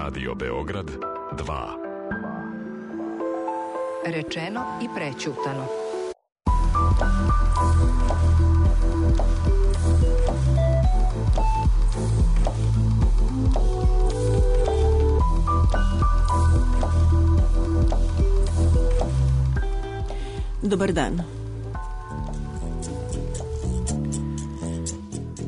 Radio Beograd 2. Rečeno i prećutano. Dobar dan.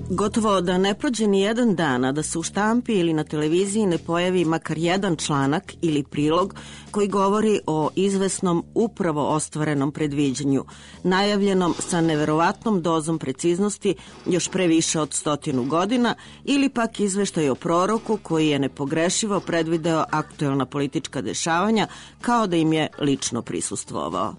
Gotovo da ne prođe ni jedan dan, a da se u štampi ili na televiziji ne pojavi makar jedan članak ili prilog koji govori o izvesnom upravo ostvarenom predviđanju, najavljenom sa neverovatnom dozom preciznosti još pre više od 100 godina, ili pak izveštaj o proroku koji je nepogrešivo predvideo aktuelna politička dešavanja kao da im je lično prisustvovao.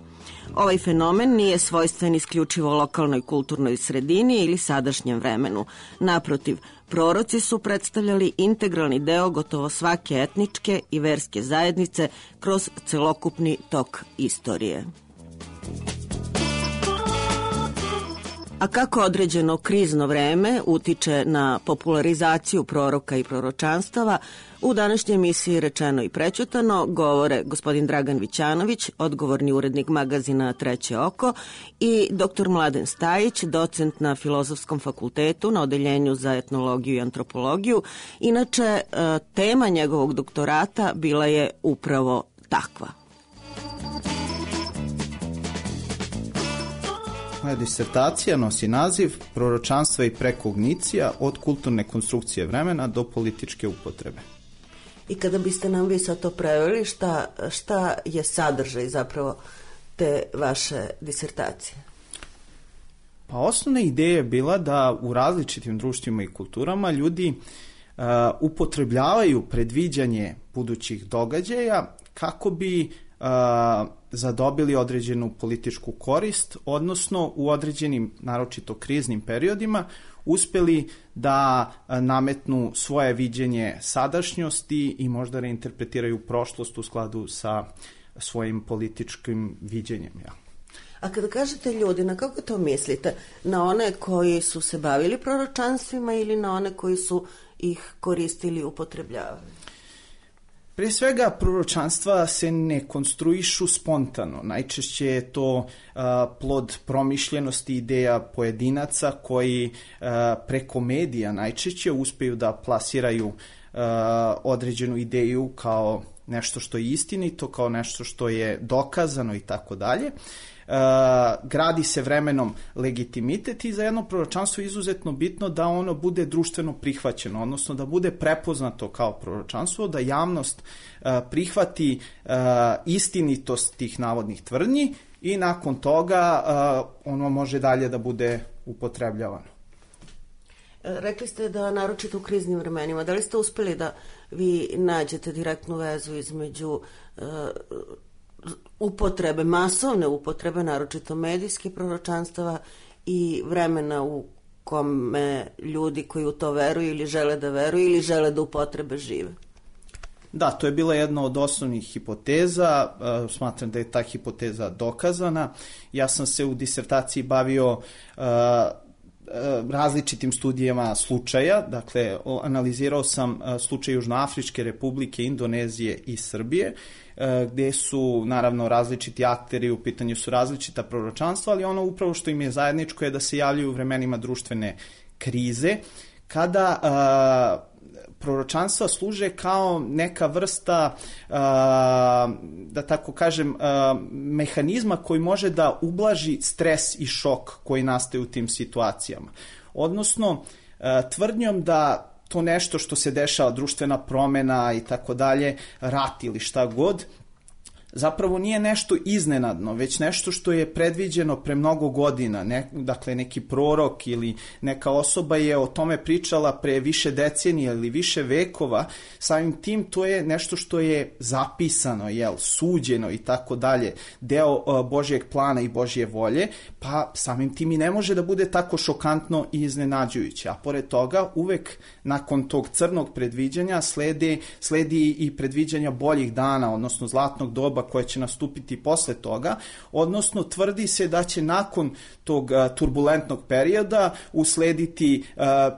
Ovaj fenomen nije svojstven isključivo lokalnoj kulturnoj sredini ili sadašnjem vremenu. Naprotiv, proroci su predstavljali integralni deo gotovo svake etničke i verske zajednice kroz celokupni tok istorije. A kako određeno krizno vreme utiče na popularizaciju proroka i proročanstava, u današnjoj emisiji Rečeno i prećutano govore gospodin Dragan Vićanović, odgovorni urednik magazina Treće oko, i dr. Mladen Stajić, docent na Filozofskom fakultetu na Odeljenju za etnologiju i antropologiju. Inače, tema njegovog doktorata bila je upravo takva. Moja disertacija nosi naziv Proročanstva i prekognicija od kulturne konstrukcije vremena do političke upotrebe. I kada biste nam vi sad to preveli, šta je sadržaj zapravo te vaše disertacije? Pa osnovna ideja je bila da u različitim društvima i kulturama ljudi upotrebljavaju predviđanje budućih događaja kako bi zadobili određenu političku korist, odnosno u određenim, naročito kriznim periodima, uspeli da nametnu svoje viđenje sadašnjosti i možda reinterpretiraju prošlost u skladu sa svojim političkim viđenjem. Ja. A kada kažete ljudi, na kako to mislite? Na one koji su se bavili proročanstvima ili na one koji su ih koristili i upotrebljavali? Pre svega, proročanstva se ne konstruišu spontano. Najčešće je to plod promišljenosti ideja pojedinaca koji preko medija najčešće uspeju da plasiraju određenu ideju kao nešto što je istinito, kao nešto što je dokazano i tako dalje. Gradi se vremenom legitimitet i za jedno proročanstvo je izuzetno bitno da ono bude društveno prihvaćeno, odnosno da bude prepoznato kao proročanstvo, da javnost prihvati istinitost tih navodnih tvrdnji i nakon toga ono može dalje da bude upotrebljavano. Rekli ste da naročito u kriznim vremenima, da li ste uspeli da vi nađete direktnu vezu između upotrebe, masovne upotrebe, naročito medijskih proročanstava i vremena u kome ljudi koji u to veruju ili žele da veruju ili žele da upotrebe žive? Da, to je bila jedna od osnovnih hipoteza, smatram da je ta hipoteza dokazana. Ja sam se u disertaciji bavio različitim studijama slučaja, dakle analizirao sam slučaj Južnoafričke republike, Indonezije i Srbije, gde su naravno različiti akteri, u pitanju su različita proročanstva, ali ono upravo što im je zajedničko je da se javljaju u vremenima društvene krize, kada proročanstva služe kao neka vrsta, da tako kažem, mehanizma koji može da ublaži stres i šok koji nastaje u tim situacijama. Odnosno, tvrdnjom da to nešto što se dešava, društvena promena i tako dalje, rat ili šta god, zapravo nije nešto iznenadno, već nešto što je predviđeno pre mnogo godina. Dakle, neki prorok ili neka osoba je o tome pričala pre više decenija ili više vekova. Samim tim to je nešto što je zapisano, suđeno i tako dalje, deo Božjeg plana i Božje volje, pa samim tim i ne može da bude tako šokantno i iznenađujuće. A pored toga, uvek nakon tog crnog predviđanja sledi i predviđanja boljih dana, odnosno zlatnog doba koja će nastupiti posle toga, odnosno tvrdi se da će nakon tog turbulentnog perioda uslediti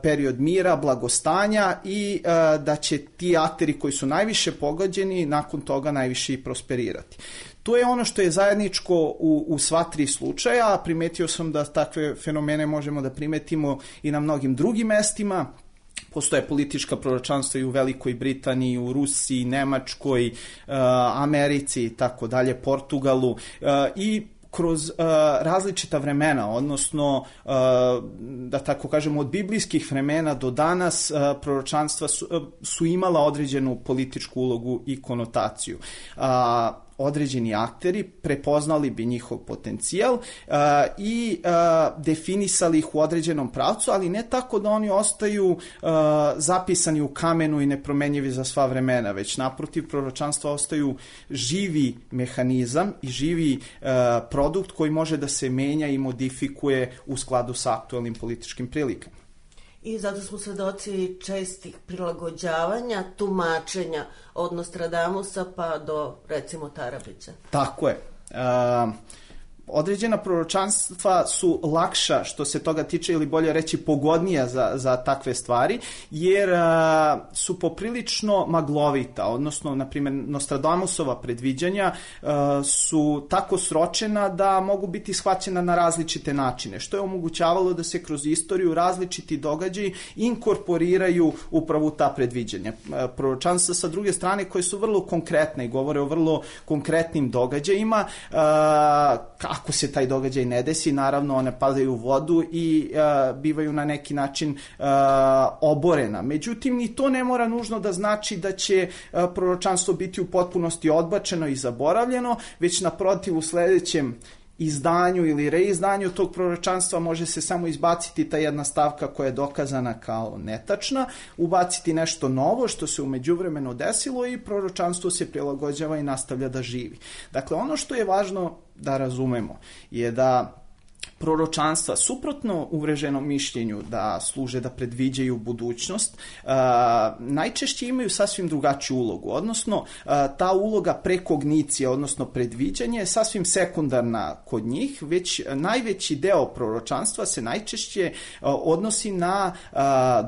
period mira, blagostanja i da će ti akteri koji su najviše pogođeni nakon toga najviše i prosperirati. To je ono što je zajedničko u sva tri slučaja, a primetio sam da takve fenomene možemo da primetimo i na mnogim drugim mestima. Postoje politička proročanstva i u Velikoj Britaniji, u Rusiji, Nemačkoj, Americi i tako dalje, Portugalu i kroz različita vremena, odnosno, da tako kažemo, od biblijskih vremena do danas proročanstva su imala određenu političku ulogu i konotaciju. Određeni akteri prepoznali bi njihov potencijal i definisali ih u određenom pravcu, ali ne tako da oni ostaju zapisani u kamenu i nepromenjivi za sva vremena, već naprotiv proročanstva ostaju živi mehanizam i živi produkt koji može da se menja i modifikuje u skladu sa aktuelnim političkim prilikama. I zato smo svedoci čestih prilagođavanja, tumačenja od Nostradamusa pa do, recimo, Tarabića. Tako je. Određena proročanstva su lakša što se toga tiče, ili bolje reći pogodnija za takve stvari, jer su poprilično maglovita, odnosno, na primjer, Nostradamusova predviđanja su tako sročena da mogu biti shvaćena na različite načine, što je omogućavalo da se kroz istoriju različiti događaji inkorporiraju upravo ta predviđanja. Proročanstva sa druge strane koje su vrlo konkretne i govore o vrlo konkretnim događajima, ako se taj događaj ne desi, naravno one padaju u vodu i bivaju na neki način oborena. Međutim, ni to ne mora nužno da znači da će proročanstvo biti u potpunosti odbačeno i zaboravljeno, već naprotiv u sledećem izdanju ili reizdanju tog proročanstva može se samo izbaciti ta jedna stavka koja je dokazana kao netačna, ubaciti nešto novo što se u međuvremenu desilo i proročanstvo se prilagođava i nastavlja da živi. Dakle, ono što je važno da razumemo je da proročanstva, suprotno uvreženom mišljenju da služe da predviđaju budućnost, najčešće imaju sasvim drugačiju ulogu, odnosno ta uloga prekognicije, odnosno predviđanje je sasvim sekundarna kod njih, već najveći deo proročanstva se najčešće odnosi na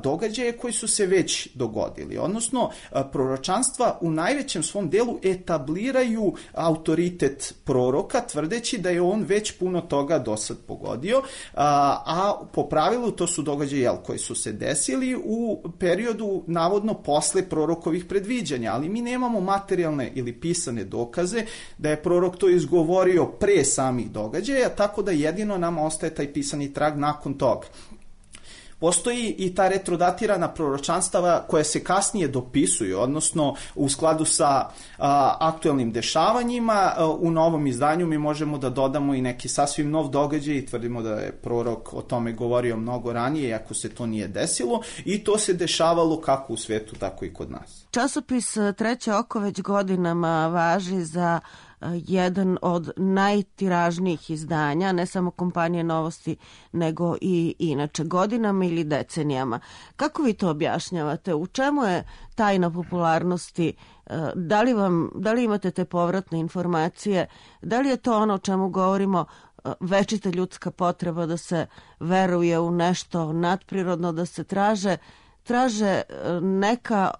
događaje koji su se već dogodili, odnosno proročanstva u najvećem svom delu etabliraju autoritet proroka, tvrdeći da je on već puno toga dosad pogodio, a po pravilu to su događaji koji su se desili u periodu navodno posle prorokovih predviđanja, ali mi nemamo materijalne ili pisane dokaze da je prorok to izgovorio pre samih događaja, tako da jedino nam ostaje taj pisani trag nakon toga. Postoji i ta retrodatirana proročanstava koja se kasnije dopisuju, odnosno u skladu sa aktuelnim dešavanjima. U novom izdanju mi možemo da dodamo i neki sasvim nov događaj i tvrdimo da je prorok o tome govorio mnogo ranije, iako se to nije desilo, i to se dešavalo kako u svetu, tako i kod nas. Časopis Treće oko već godinama važi za jedan od najtiražnijih izdanja, ne samo kompanije Novosti, nego i inače godinama ili decenijama. Kako vi to objašnjavate? U čemu je tajna popularnosti? Da li imate te povratne informacije? Da li je to ono o čemu govorimo, večita ljudska potreba da se veruje u nešto nadprirodno, da se traže neka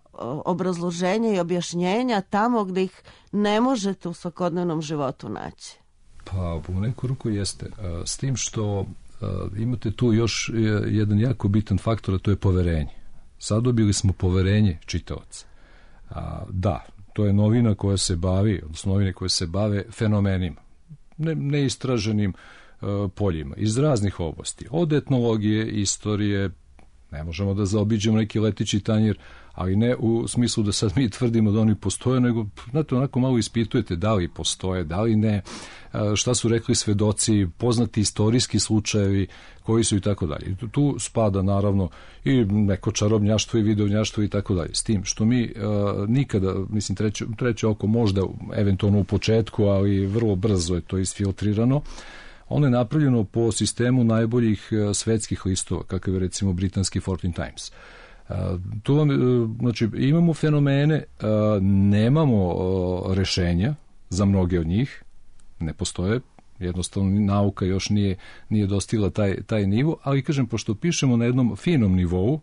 obrazloženja i objašnjenja tamo gde ih ne možete u svakodnevnom životu naći? Pa u neku ruku jeste. S tim što imate tu još jedan jako bitan faktor, a to je poverenje. Zadobili smo poverenje čitaoca. Da, to je novina koja se bavi, odnosno novine koje se bave fenomenima, neistraženim poljima, iz raznih oblasti. Od etnologije, istorije, ne možemo da zaobiđemo neki leteći tanjir, ali ne u smislu da sad mi tvrdimo da oni postoje, nego znate, onako malo ispitujete da li postoje, da li ne, šta su rekli svedoci, poznati istorijski slučajevi koji su i tako dalje. Tu spada naravno i neko čarobnjaštvo i videonjaštvo i tako dalje. S tim što mi nikada, mislim, treće oko možda eventualno u početku, ali vrlo brzo je to isfiltrirano. Ono je napravljeno po sistemu najboljih svetskih listova, kakav je recimo britanski Fourteen Times. Tu znači, imamo fenomene, nemamo rešenja za mnoge od njih, ne postoje, jednostavno nauka još nije dostigla taj nivo, ali kažem, pošto pišemo na jednom finom nivou,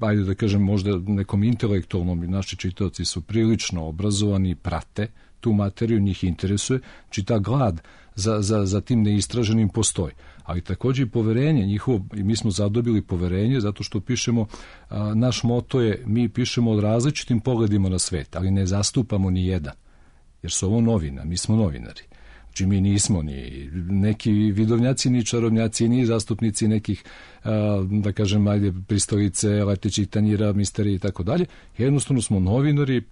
ajde da kažem možda nekom intelektualnom, naši čitaoci su prilično obrazovani, prate tu materiju, njih interesuje, znači ta glad za tim neistraženim postoji. Ali takođe i poverenje njihovo, i mi smo zadobili poverenje zato što pišemo, naš moto je, mi pišemo od različitim pogledima na svet, ali ne zastupamo ni jedan, jer su ovo novina, mi smo novinari. Znači mi nismo ni neki vidovnjaci, ni čarobnjaci, ni zastupnici nekih, da kažem, ajde, pristolice, letećih tanjira, misterija i tako dalje. Jednostavno smo novinari,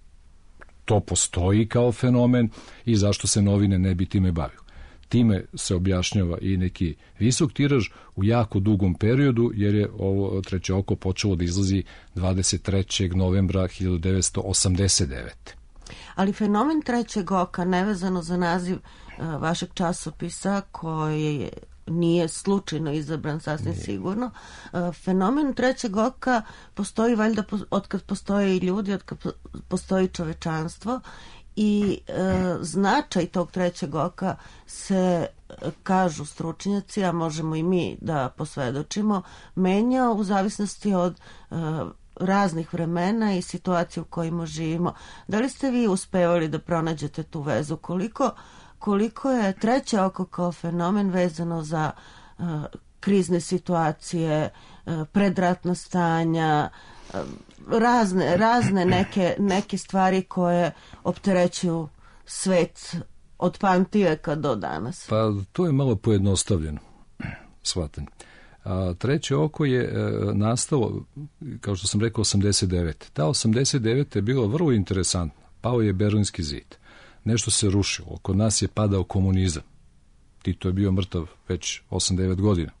to postoji kao fenomen i zašto se novine ne bi time bavio. Time se objašnjava i neki visok tiraž u jako dugom periodu, jer je ovo Treće oko počelo da izlazi 23. novembra 1989. Ali fenomen Trećeg oka, nevezano za naziv vašeg časopisa, koji nije slučajno izabran, sasvim sigurno, fenomen Trećeg oka postoji valjda otkad postoje i ljudi, otkad postoji čovečanstvo, i značaj tog Trećeg oka se, kažu stručnjaci, a možemo i mi da posvedočimo, menjao u zavisnosti od raznih vremena i situacije u kojima živimo. Da li ste vi uspevali da pronađete tu vezu? Koliko je Treće oko kao fenomen vezano za krizne situacije, predratna stanja, razne neke stvari koje opterećuju svet od pamtiveka do danas? Pa to je malo pojednostavljeno shvatanje. Treće oko je nastalo, kao što sam rekao, 89. Ta 89. je bila vrlo interesantna. Pao je Berlinski zid. Nešto se rušilo. Kod nas je padao komunizam. Tito je bio mrtav već 8-9 godina.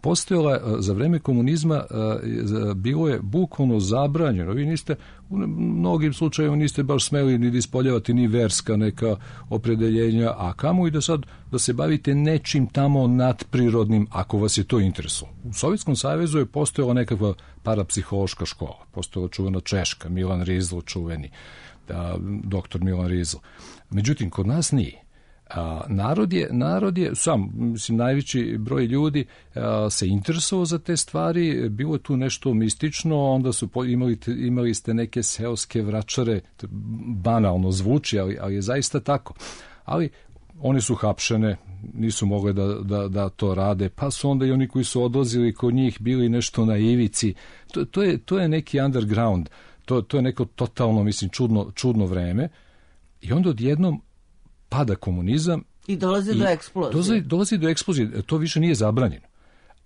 Postojala, za vreme komunizma bilo je bukvalno zabranjeno. Vi niste, u mnogim slučajevima niste baš smeli ni da ispoljavati ni verska neka opredeljenja, a kamo i da se bavite nečim tamo nadprirodnim, ako vas je to interesovalo. U Sovjetskom savezu je postojala nekakva parapsihološka škola. Postojala čuvena Češka, Milan Rizl čuveni, doktor Milan Rizl. Međutim, kod nas nije. Narod je sam, mislim, najveći broj ljudi se interesovao za te stvari, bilo je tu nešto mistično, onda su imali ste neke seoske vračare, banalno zvuči, ali je zaista tako. Ali one su hapšene, nisu mogli da to rade, pa su onda i oni koji su odlazili kod njih bili nešto na ivici. To je neki underground, to je neko totalno, mislim, čudno vreme, i onda odjednom pada komunizam i dolazi do eksplozije. Dolazi do eksplozije, to više nije zabranjeno.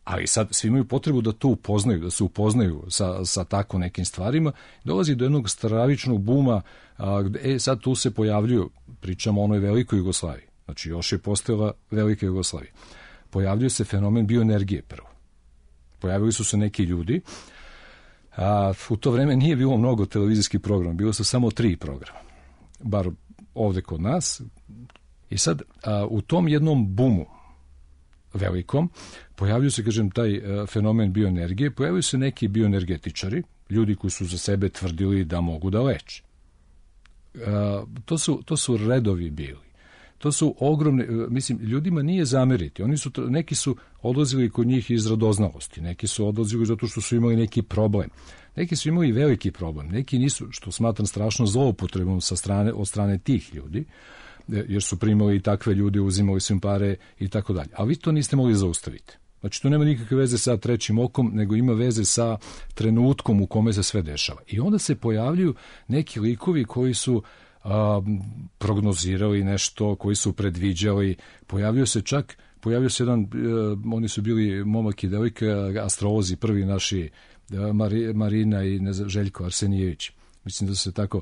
Ali sad svi imaju potrebu da to upoznaju, da se upoznaju sa tako nekim stvarima. Dolazi do jednog stravičnog buma, sad tu se pojavljuju, pričamo o onoj velikoj Jugoslaviji, znači još je postojala velika Jugoslavija. Pojavljuje se fenomen bioenergije prvo. Pojavili su se neki ljudi, u to vreme nije bilo mnogo televizijskih programa, bilo su samo 3 programa, bar ovde kod nas. I sad, u tom jednom bumu velikom, pojavljaju se, kažem, taj fenomen bioenergije, pojavljaju se neki bioenergetičari, ljudi koji su za sebe tvrdili da mogu da leče. To su redovi bili. To su ogromne, mislim, ljudima nije zameriti. Neki su odlazili kod njih iz radoznalosti, neki su odlazili zato što su imali neki problem. Neki su imali veliki problem, neki nisu, što smatram strašno zloupotrebom od strane tih ljudi, jer su primali i takve ljude, uzimali su im pare i tako dalje. A vi to niste mogli zaustaviti. Znači, to nema nikakve veze sa trećim okom, nego ima veze sa trenutkom u kome se sve dešava. I onda se pojavljuju neki likovi koji su prognozirali nešto, koji su predviđali. Pojavio se jedan, oni su bili momak i devojka, astrolozi, prvi naši, Marina i Željko Arsenijević. Mislim da se tako,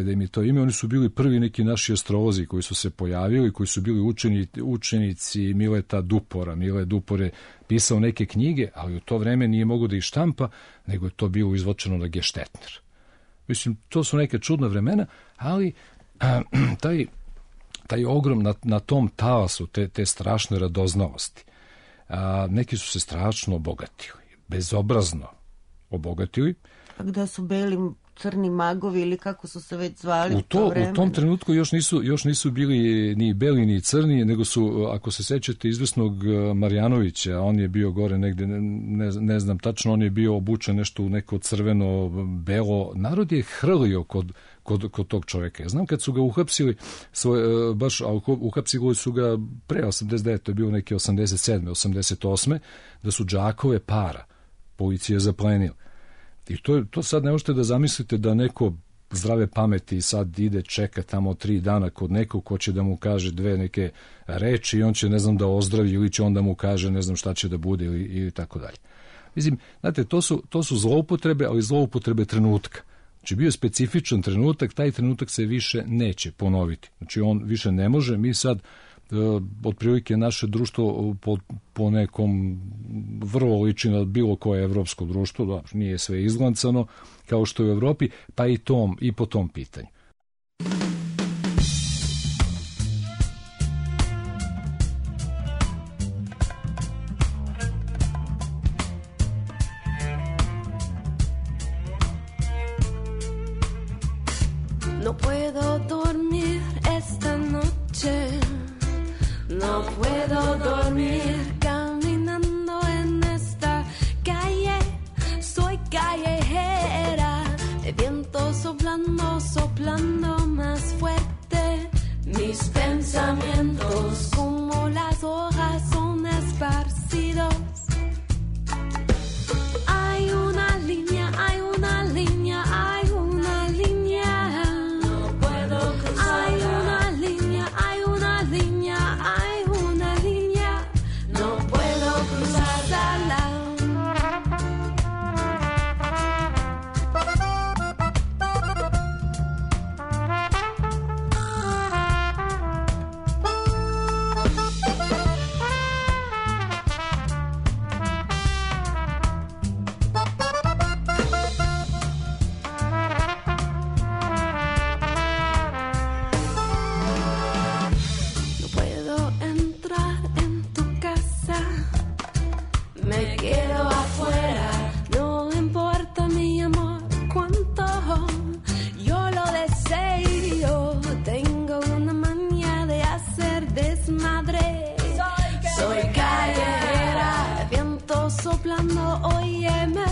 da im je to ime. Oni su bili prvi neki naši astrolozi koji su se pojavili, koji su bili učenici Mileta Dupora. Mile Dupor je pisao neke knjige, ali u to vreme nije mogo da ih štampa, nego je to bilo izvočeno na Geštetner. Mislim, to su neke čudna vremena, ali taj ogrom na tom talasu, te strašne radoznalosti, neki su se strašno obogatili, bezobrazno obogatili. A gde su beli, crni magovi ili kako su se već zvali u to vreme. U tom trenutku još nisu bili ni beli ni crni, nego su, ako se sećate, izvesnog Marjanovića, on je bio gore negde, ne znam tačno, on je bio obučen nešto u neko crveno, belo. Narod je hrlio kod tog čoveka. Ja znam kad su ga uhapsili, uhapsili su ga pre 89. to je bilo neke 87. 88. da su džakove para policija zaplenila. I to sad ne možete da zamislite da neko zdrave pameti sad ide čeka tamo 3 dana kod nekog ko će da mu kaže dve neke reči i on će, ne znam, da ozdravi ili će on da mu kaže ne znam šta će da bude ili tako dalje. Mislim, znate, to su zloupotrebe, ali zloupotrebe trenutka. Znači, bio je specifičan trenutak, taj trenutak se više neće ponoviti. Znači, on više ne može. Mi sad, otprilike, naše društvo po nekom vrlo liči na bilo koje evropsko društvo, da, nije sve izglancano, kao što je u Evropi, pa i po tom pitanju. No puedo dormir esta noche, no puedo dormir caminando en esta calle, soy callejera, el viento soplando, soplando más fuerte, mis pensamientos como las hojas son esparcidos. Hay una línea, hay una línea, hay una línea. Óyeme,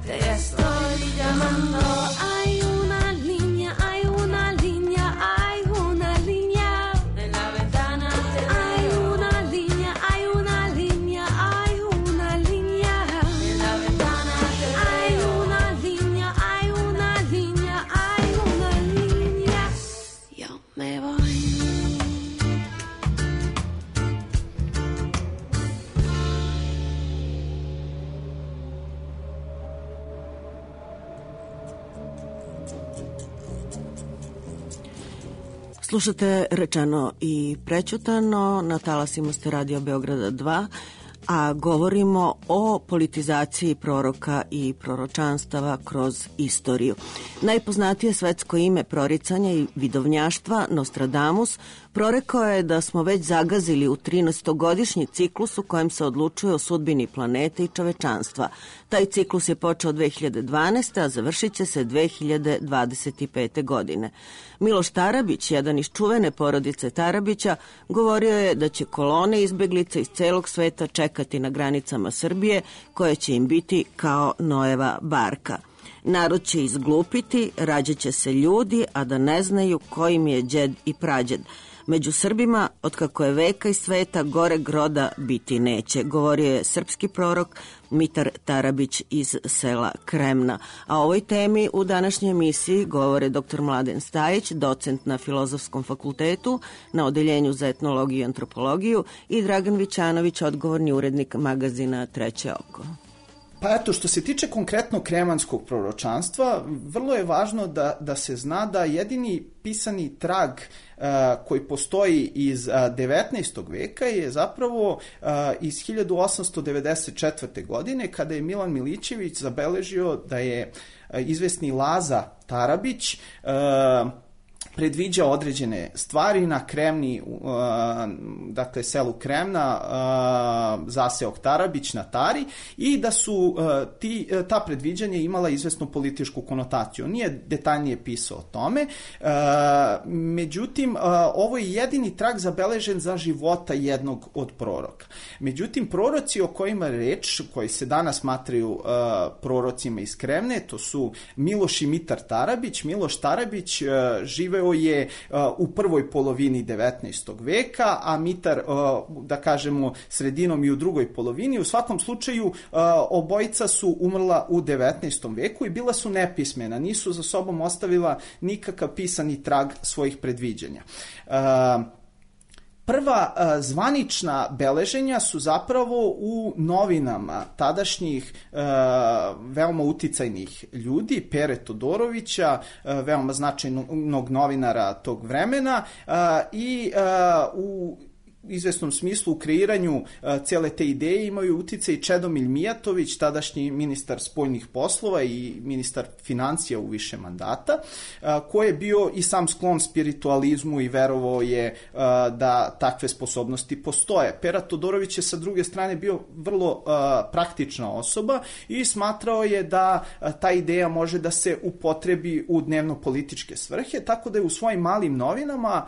te estoy llamando. Hay una línea, hay una línea, hay una línea. En la ventana hay una línea, hay una línea, hay una línea. En la ventana hay una línea, hay una línea, hay una línea. Yo me voy. Slušate Rečeno i prećutano, na talasima ste Radio Beograda 2, a govorimo o politizaciji proroka i proročanstava kroz istoriju. Najpoznatije svetsko ime proricanja i vidovnjaštva, Nostradamus, prorekao je da smo već zagazili u 13-godišnji ciklus u kojem se odlučuje o sudbini planete i čovečanstva. Taj ciklus je počeo 2012. a završit će se 2025. godine. Miloš Tarabić, jedan iz čuvene porodice Tarabića, govorio je da će kolone izbeglica iz celog sveta čekati na granicama Srbije, koje će im biti kao Noeva barka. Narod će izglupiti, rađaće se ljudi, a da ne znaju kojim je đed i prađed. Među Srbima, otkako je veka i sveta, goreg roda biti neće, govorio je srpski prorok Mitar Tarabić iz sela Kremna. A o ovoj temi u današnjoj emisiji govore dr. Mladen Stajić, docent na Filozofskom fakultetu, na Odeljenju za etnologiju i antropologiju, i Dragan Vićanović, odgovorni urednik magazina Treće oko. Pa eto, što se tiče konkretno kremanskog proročanstva, vrlo je važno da se zna da jedini pisani trag koji postoji iz 19. veka je zapravo iz 1894. godine, kada je Milan Milićević zabeležio da je izvesni Laza Tarabić predviđa određene stvari na Kremni, dakle selu Kremna, zaseok Tarabić na Tari, i da su ta predviđanja imala izvesnu političku konotaciju. On nije detaljnije pisao o tome, međutim, ovo je jedini trag zabeležen za života jednog od proroka. Međutim, proroci o kojima je reč, koji se danas smatraju prorocima iz Kremne, to su Miloš i Mitar Tarabić. Miloš Tarabić živeo je u prvoj polovini 19. veka, a Mitar, da kažemo, sredinom i u drugoj polovini. U svakom slučaju, obojica su umrla u 19. veku i bila su nepismena, nisu za sobom ostavila nikakav pisani trag svojih predviđanja. Prva zvanična beleženja su zapravo u novinama tadašnjih veoma uticajnih ljudi, Pere Todorovića, veoma značajnog novinara tog vremena, i u izvesnom smislu u kreiranju cele te ideje imaju uticaj Čedomilj Mijatović, tadašnji ministar spoljnih poslova i ministar financija u više mandata, koji je bio i sam sklon spiritualizmu i verovao je da takve sposobnosti postoje. Pera Todorović je sa druge strane bio vrlo praktična osoba i smatrao je da ta ideja može da se upotrebi u dnevno-političke svrhe, tako da je u svojim malim novinama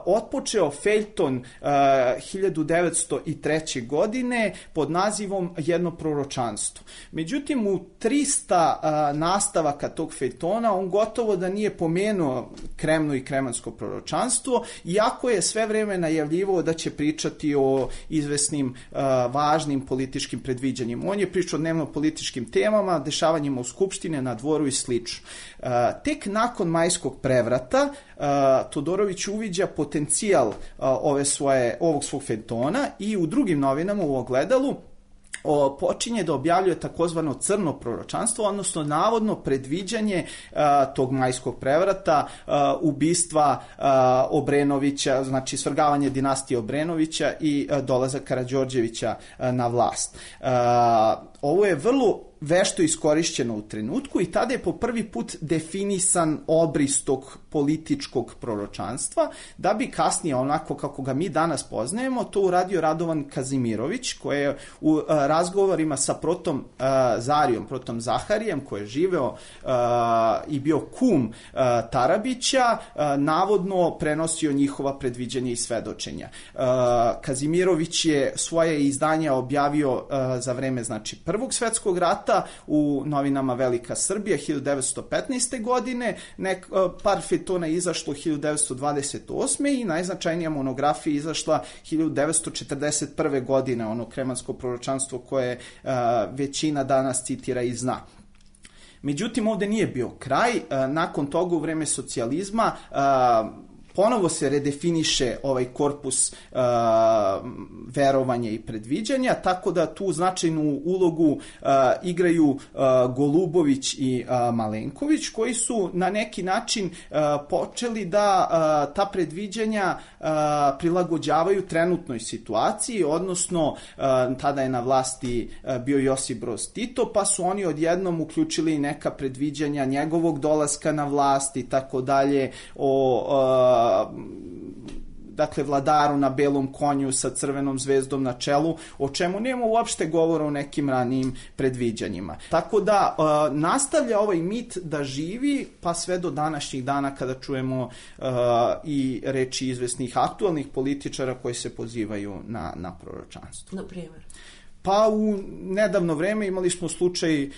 otpočeo feljton 1903. godine pod nazivom Jedno proročanstvo. Međutim, u 300 nastavaka tog feljtona on gotovo da nije pomenuo Kremnu i kremansko proročanstvo, iako je sve vreme najavljivao da će pričati o izvesnim važnim političkim predviđanjima. On je pričao o dnevno-političkim temama, dešavanjima u Skupštine, na dvoru i slično. Tek nakon Majskog prevrata Todorović uviđa potencijal ovog svog feljtona i u drugim novinama u Ogledalu počinje da objavljuje takozvano crno proročanstvo, odnosno navodno predviđanje tog Majskog prevrata, ubistva Obrenovića, znači svrgavanje dinastije Obrenovića i dolazak Karađorđevića na vlast. Ovo je vrlo vešto iskorišćeno u trenutku i tada je po prvi put definisan obris tog političkog proročanstva, da bi kasnije, onako kako ga mi danas poznajemo, to uradio Radovan Kazimirović, koji je u razgovorima sa protom Zarijom, protom Zaharijem, koji je živeo i bio kum Tarabića, navodno prenosio njihova predviđanja i svedočenja. Kazimirović je svoje izdanja objavio za vreme, znači, Prvog svetskog rata u novinama Velika Srbija 1915. godine, par feljtona je izašlo 1928. i najznačajnija monografija je izašla 1941. godine, ono kremansko proročanstvo koje većina danas citira i zna. Međutim, ovde nije bio kraj. Nakon toga, u vreme socijalizma, ponovo se redefiniše ovaj korpus verovanja i predviđanja, tako da tu značajnu ulogu igraju Golubović i Malenković, koji su na neki način počeli da ta predviđanja prilagođavaju trenutnoj situaciji, odnosno tada je na vlasti bio Josip Broz Tito, pa su oni odjednom uključili neka predviđanja njegovog dolaska na vlast i tako dalje, dakle vladaru na belom konju sa crvenom zvezdom na čelu, o čemu nema uopšte govora o nekim ranijim predviđanjima. Tako da nastavlja ovaj mit da živi pa sve do današnjih dana kada čujemo i reči izvesnih aktualnih političara koji se pozivaju na proročanstvo. Na primjer? Pa u nedavno vreme imali smo slučaj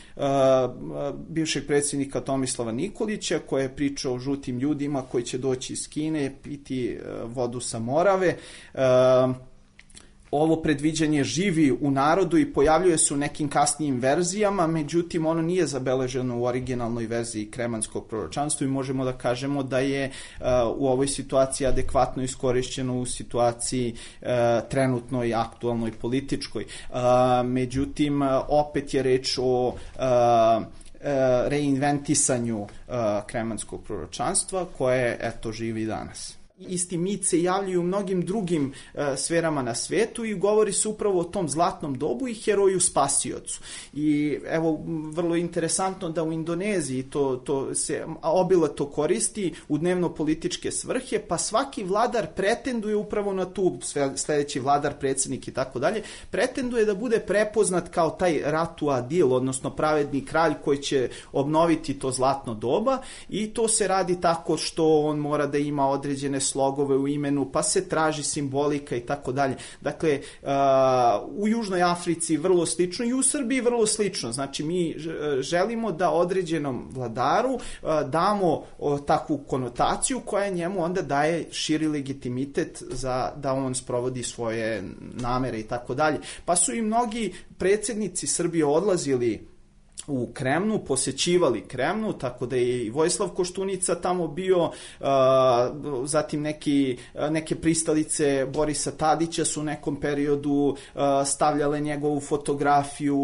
bivšeg predsjednika Tomislava Nikolića, koji je pričao o žutim ljudima koji će doći iz Kine, piti vodu sa Morave. Ovo predviđanje živi u narodu i pojavljuje se u nekim kasnijim verzijama, međutim ono nije zabeleženo u originalnoj verziji kremanskog proročanstva i možemo da kažemo da je u ovoj situaciji adekvatno iskorišćeno u situaciji trenutnoj, aktualnoj, političkoj. Međutim, opet je reč o reinventisanju kremanskog proročanstva koje, eto, živi danas. Isti mit se javljaju u mnogim drugim sferama na svetu i govori se upravo o tom zlatnom dobu i heroju spasiocu. I evo, vrlo interesantno da u Indoneziji to se obilato koristi u dnevno-političke svrhe, pa svaki vladar pretenduje upravo na tu, sledeći vladar, predsjednik i tako dalje, pretenduje da bude prepoznat kao taj Ratu Adil, odnosno pravedni kralj koji će obnoviti to zlatno doba, i to se radi tako što on mora da ima određene slogove u imenu, pa se traži simbolika i tako dalje. Dakle, u Južnoj Africi vrlo slično i u Srbiji vrlo slično. Znači, mi želimo da određenom vladaru damo takvu konotaciju koja njemu onda daje širi legitimitet za da on sprovodi svoje namere i tako dalje. Pa su i mnogi predsjednici Srbije odlazili u Kremnu, posećivali Kremnu, tako da je i Vojislav Koštunica tamo bio, zatim neke pristalice Borisa Tadića su u nekom periodu stavljale njegovu fotografiju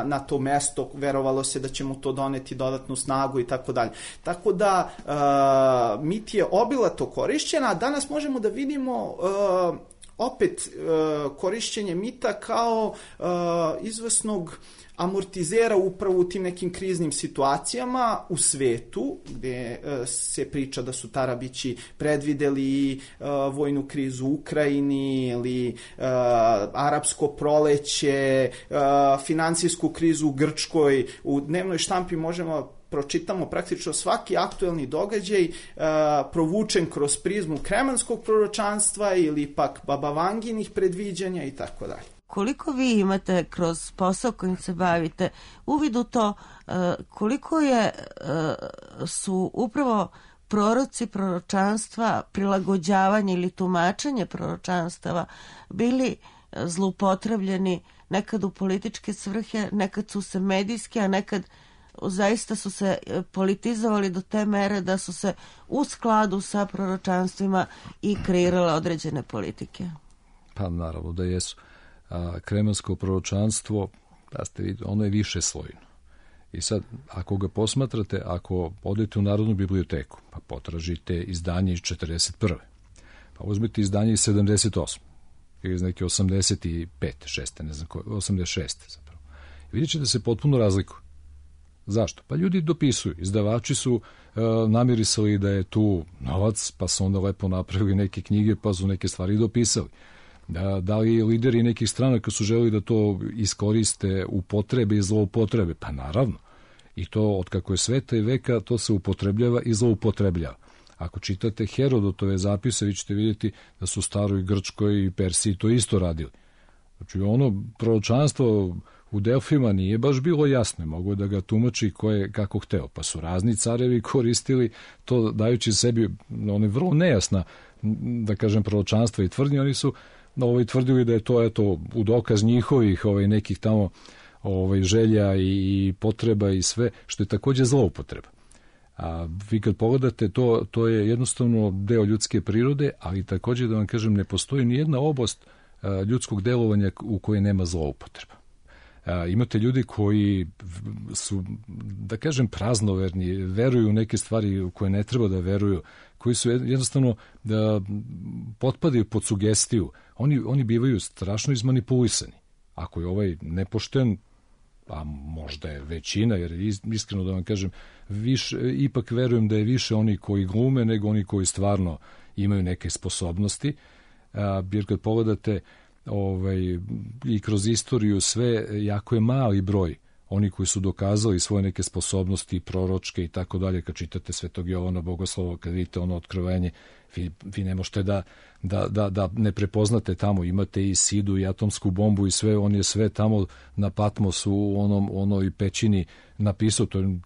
na to mesto, verovalo se da će mu to doneti dodatnu snagu i tako dalje. Tako da mit je obilato korišćen, a danas možemo da vidimo opet korišćenje mita kao izvesnog amortizera upravo u tim nekim kriznim situacijama u svetu, gde se priča da su Tarabići predvideli vojnu krizu u Ukrajini ili arapsko proleće, finansijsku krizu u Grčkoj. U dnevnoj štampi možemo pročitamo praktično svaki aktuelni događaj provučen kroz prizmu kremanskog proročanstva ili pak babavanginih predviđanja i tako dalje. Koliko vi imate kroz posao kojim se bavite uvid u to koliko su upravo proroci proročanstva, prilagođavanje ili tumačenje proročanstava bili zloupotrebljeni nekad u političke svrhe, nekad su se medijski, a nekad zaista su se politizovali do te mere da su se u skladu sa proročanstvima i kreirale određene politike? Pa naravno da jesu. Kremansko proročanstvo, ono je više slojno. I sad, ako ga posmatrate, ako odete u Narodnu biblioteku, pa potražite izdanje iz 41. Pa uzmete izdanje iz 78. ili iz neke 85. 6. ne znam koje, 86. zapravo. I vidjet ćete da se potpuno razlikuju. Zašto? Pa ljudi dopisuju. Izdavači su namirisali da je tu novac, pa su onda lepo napravili neke knjige, pa su neke stvari dopisali. Da li lideri nekih stranaka su želeli da to iskoriste upotrebe i zloupotrebe? Pa naravno. I to od kako je sveta i veka to se upotrebljava i zloupotrebljava. Ako čitate Herodotove zapise, vi ćete vidjeti da su u staroj Grčkoj i Persiji to isto radili. Znači ono proročanstvo u Delfima nije baš bilo jasno, mogu da ga tumači ko je kako hteo, pa su razni carevi koristili to dajući sebi one vrlo nejasna, da kažem, proročanstva i tvrdnje. Oni su tvrdili da je to eto u dokaz njihovih nekih tamo želja i potreba i sve, što je takođe zloupotreba. A vi kad pogledate to je jednostavno deo ljudske prirode, ali takođe da vam kažem ne postoji ni jedna oblast ljudskog delovanja u kojoj nema zloupotreba. Imate ljudi koji su, da kažem, praznoverni, veruju u neke stvari u koje ne treba da veruju, koji su jednostavno da potpadaju pod sugestiju. Oni bivaju strašno izmanipulisani. Ako je ovaj nepošten, a možda je većina, jer iskreno da vam kažem, ipak verujem da je više oni koji glume nego oni koji stvarno imaju neke sposobnosti, jer kad pogledate i kroz istoriju sve, jako je mali broj oni koji su dokazali svoje neke sposobnosti proročke i tako dalje. Kad čitate Svetog Jovana Bogoslova, kad vidite ono otkrivenje, vi ne možete da ne prepoznate tamo. Imate i Sidu i atomsku bombu i sve, on je sve tamo na Patmosu u onoj pećini napisao. To je,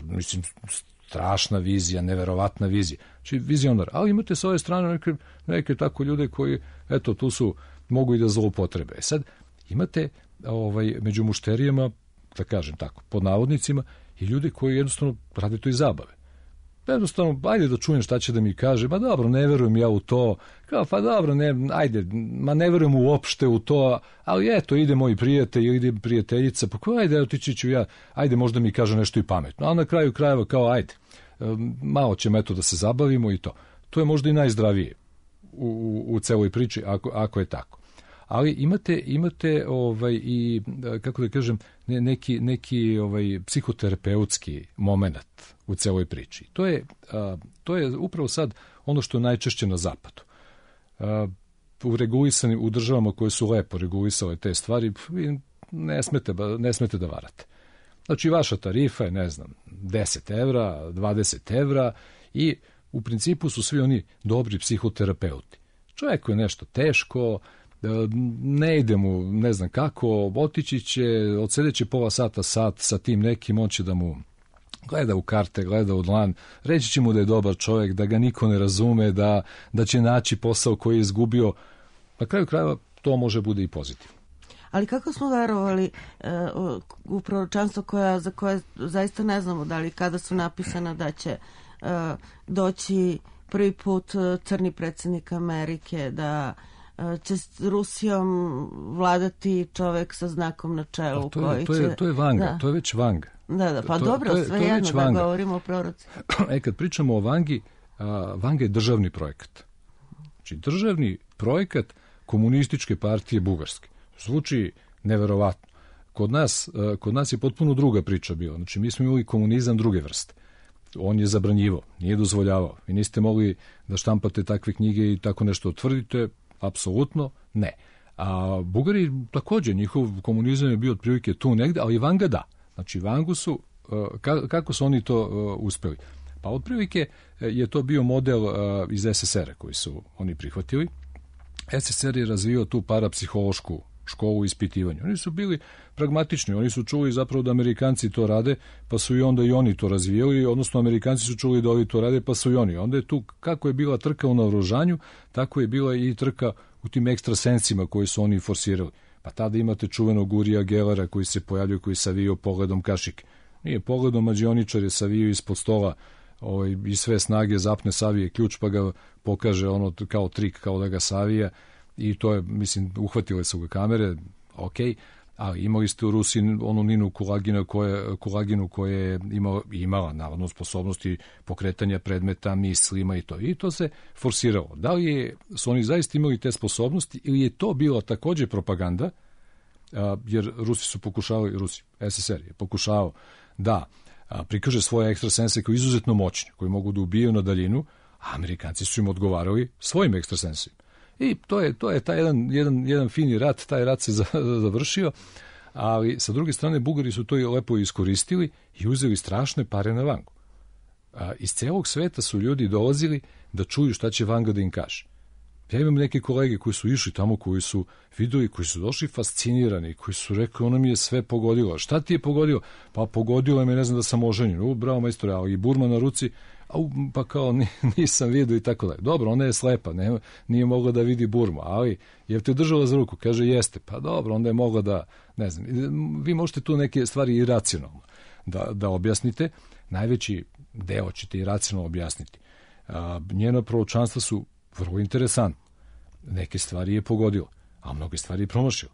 mislim, strašna vizija, neverovatna vizija. Znači vizionar. Ali imate s ove strane neke tako ljude koji, eto, tu su, mogu i da zloupotrebe. Sad, imate među mušterijama, da kažem tako, pod navodnicima, i ljudi koji jednostavno rade to iz zabave. Jednostavno, ajde da čujem šta će da mi kaže, ma dobro, ne verujem ja u to, kao, pa dobro, ne verujem uopšte u to, ali eto, ide moj prijatelj ili ide prijateljica, pa ko, ajde, otići ću ja, ajde, možda mi kaže nešto i pametno, a na kraju krajeva kao, ajde, malo ćemo eto da se zabavimo i to. to je možda i najzdravije u celoj priči, ako je tako. Ali imate i, kako da kažem, neki psihoterapeutski moment u celoj priči. To je upravo sad ono što je najčešće na zapadu. U državama koje su lepo regulisale te stvari, vi ne smete da varate. Znači, vaša tarifa je, 10 evra, 20 evra i u principu su svi oni dobri psihoterapeuti. Čovjeku je nešto teško, ne ide mu, ne znam kako, otići će, odsedeće pola sat sa tim nekim, on će da mu gleda u karte, gleda u dlan, reći će mu da je dobar čovjek, da ga niko ne razume, da će naći posao koji je izgubio. Na kraju krajeva to može bude i pozitivno. Ali kako smo verovali u proročanstvo za koje zaista ne znamo da li kada su napisana da će doći prvi put crni predsjednik Amerike, da će s Rusijom vladati čovjek sa znakom na čelu. To je Vanga, to je već Vanga. Da, pa dobro, sve jedno da govorimo o proroci. Kad pričamo o Vangi, Vanga je državni projekat. Znači, državni projekat Komunističke partije Bugarske. Zvuči neverovatno. Kod nas je potpuno druga priča bila. Znači, mi smo imali komunizam druge vrste. On je zabranjivao, nije dozvoljavao. Vi niste mogli da štampate takve knjige i tako nešto tvrdite, apsolutno ne. A Bugari također, njihov komunizam je bio otprilike tu negde, ali Vanga da. Znači, Vangu su, kako su oni to uspeli? Pa otprilike je to bio model iz SSR-a koji su oni prihvatili. SSR je razvio tu parapsihološku školu ispitivanja. Oni su bili pragmatični, oni su čuli zapravo da Amerikanci to rade, pa su i onda i oni to razvijali, odnosno Amerikanci su čuli da ovi to rade, pa su i oni. Onda je tu, kako je bila trka u naoružanju, tako je bila i trka u tim ekstrasensima koji su oni forsirali. Pa tada imate čuvenog Urija Gelera koji se pojavljuje, koji savio pogledom kašike. Nije pogledom, mađioničar je savio ispod stola i sve snage zapne, savije ključ, pa ga pokaže ono kao trik, kao da ga savija. I to je, mislim, uhvatile su ga kamere, ok, ali imali ste u Rusiji onu Ninu Kulaginu koja je imala navodno sposobnosti pokretanja predmeta, mislima i to. I to se forsiralo. Da li su oni zaista imali te sposobnosti ili je to bila također propaganda, jer Rusi su pokušavali, SSR je pokušavao da prikaže svoje ekstrasense koji izuzetno moćni, koji mogu da ubijaju na daljinu, a Amerikanci su im odgovarali svojim ekstrasensima. I to je taj jedan fini rat, taj rat se završio, ali sa druge strane Bugari su to i lepo iskoristili i uzeli strašne pare na Vangu. Iz celog sveta su ljudi dolazili da čuju šta će Vanga da im kaže. Ja imam neke kolege koji su išli tamo, koji su videli, koji su došli fascinirani, koji su rekli, ono mi je sve pogodilo. Šta ti je pogodilo? Pa pogodilo je me, ne znam da sam oženjen. Bravo majstore, ali i burma na ruci, pa kao nisam vidio i tako dalje. Dobro, ona je slepa, nije mogla da vidi burmu, ali je te držala za ruku? Kaže, jeste. Pa dobro, onda je mogla da, ne znam, vi možete tu neke stvari i racionalno da objasnite. Najveći deo ćete i racionalno objasniti. Njena proročanstva su vrlo interesantno. Neke stvari je pogodilo, a mnoge stvari je promašilo.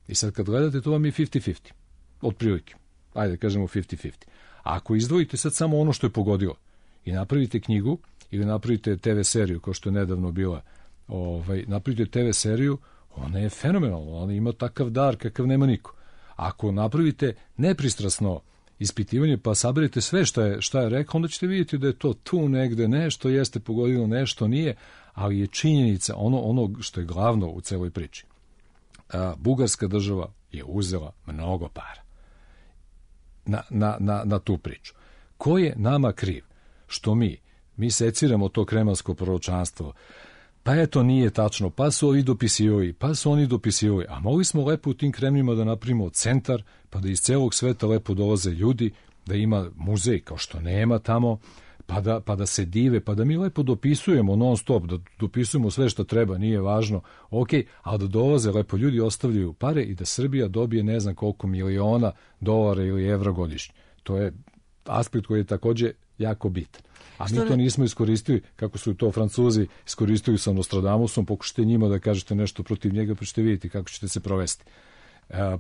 I sad kad gledate, to vam je 50-50. Otprilike. Ajde, kažemo 50-50. A ako izdvojite sad samo ono što je pogodilo i napravite knjigu ili napravite TV seriju, kao što je nedavno bila, napravite TV seriju, ona je fenomenalna, ona ima takav dar kakav nema niko. Ako napravite nepristrasno ispitivanje pa saberete sve šta je rekao, onda ćete vidjeti da je to tu negde, nešto jeste pogodilo, nešto nije, ali je činjenica ono što je glavno u celoj priči. Bugarska država je uzela mnogo para na tu priču. Ko je nama kriv? Što mi seciramo to kremansko proročanstvo, pa eto nije tačno, pa su ovi dopisivali, pa su oni dopisivali, a mogli smo lepo u tim Kremljima da napravimo centar, pa da iz celog sveta lepo dolaze ljudi, da ima muzej kao što nema tamo, pa da se dive, pa da mi lepo dopisujemo non stop, da dopisujemo sve što treba, nije važno, ok, ali da dolaze lepo ljudi, ostavljaju pare i da Srbija dobije ne znam koliko miliona dolara ili evra godišnje. To je aspekt koji je također jako bitan. A mi to nismo iskoristili, kako su to Francuzi iskoristili sa Nostradamusom, pokušajte njima da kažete nešto protiv njega, pa ćete vidjeti kako ćete se provesti.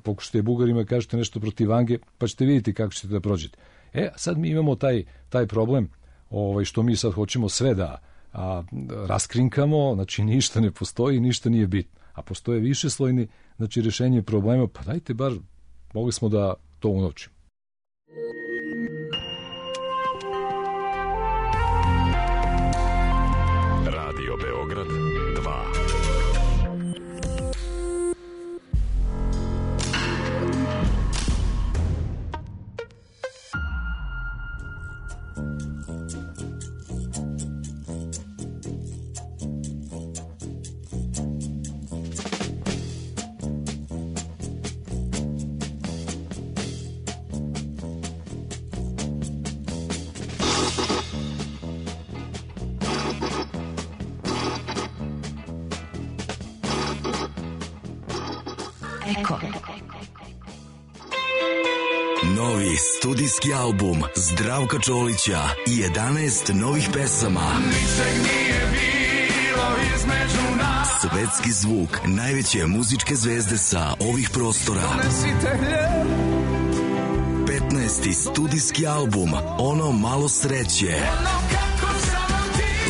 Pokušajte Bugarima da kažete nešto protiv Vange, pa ćete vidjeti kako ćete da prođete. Sad mi imamo taj problem, što mi sad hoćemo sve raskrinkamo, znači ništa ne postoji, ništa nije bitno. A postoje višeslojni, znači rešenje problema, pa dajte bar, mogli smo da to unovčimo. Radio Beograd 2. Eko. Novi studijski album Zdravka Čolića i 11 novih pesama. Svetski zvuk najveće muzičke zvezde sa ovih prostora. 15. studijski album Ono malo sreće.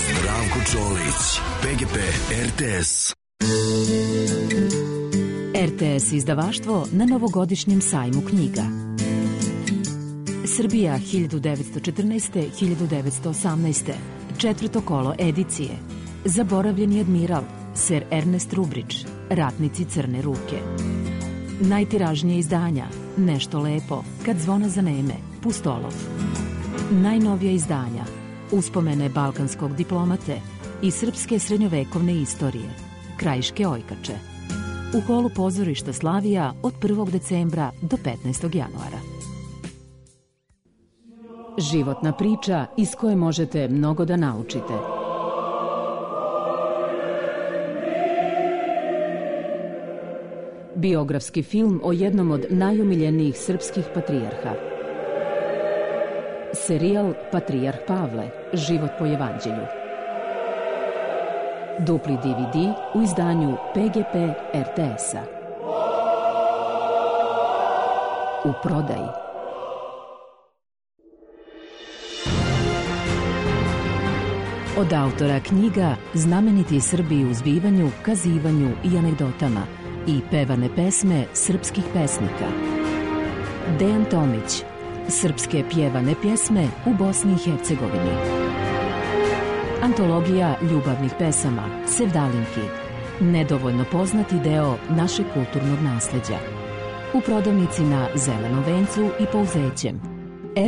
Zdravko Čolić, PGP RTS. RTS izdavaštvo na novogodišnjem sajmu knjiga. Srbija 1914-1918. Četvrto kolo edicije. Zaboravljeni admiral, Sir Ernest Rubridge, Ratnici crne ruke. Najtiražnije izdanja, Nešto lepo, Kad zvona zaneme, Pustolov. Najnovija izdanja, Uspomene balkanskog diplomate i srpske srednjovekovne istorije, Krajiške ojkače. U holu pozorišta Slavija od 1. decembra do 15. januara. Životna priča iz koje možete mnogo da naučite. Biografski film o jednom od najomiljenijih srpskih patrijarha. Serijal Patrijarh Pavle, život po evanđelju. Dupli DVD u izdanju PGP RTS-a. U prodaji. Od autora knjiga Znameniti Srbi u zbivanju, kazivanju i anegdotama i pevane pesme srpskih pesnika. Dejan Tomić. Srpske pjevane pjesme u Bosni i Hercegovini. Antologija ljubavnih pesama, Sevdalinki. Nedovoljno poznati deo našeg kulturnog nasleđa. U prodavnici na Zelenom vencu i Pouzećem.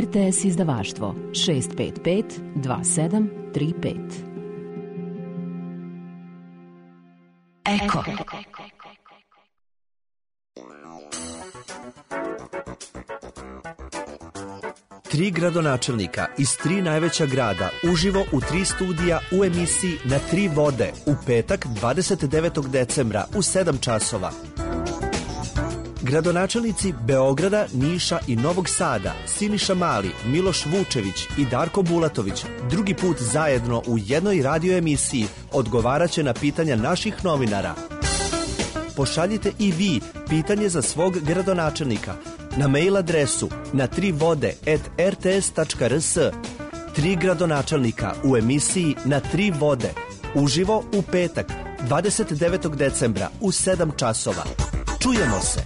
RTS izdavaštvo 655 2735. Eko. Tri gradonačelnika iz 3 najveća grada uživo u 3 studija u emisiji Na 3 vode u petak 29. decembra u 7 časova. Gradonačelnici Beograda, Niša i Novog Sada, Siniša Mali, Miloš Vučević i Darko Bulatović, drugi put zajedno u jednoj radio emisiji odgovaraće na pitanja naših novinara. Pošaljite i vi pitanje za svog gradonačelnika na mail adresu na 3vode@rts.rs. 3 gradonačelnika u emisiji Na 3 vode uživo u petak 29. decembra u 7 časova. Čujemo se!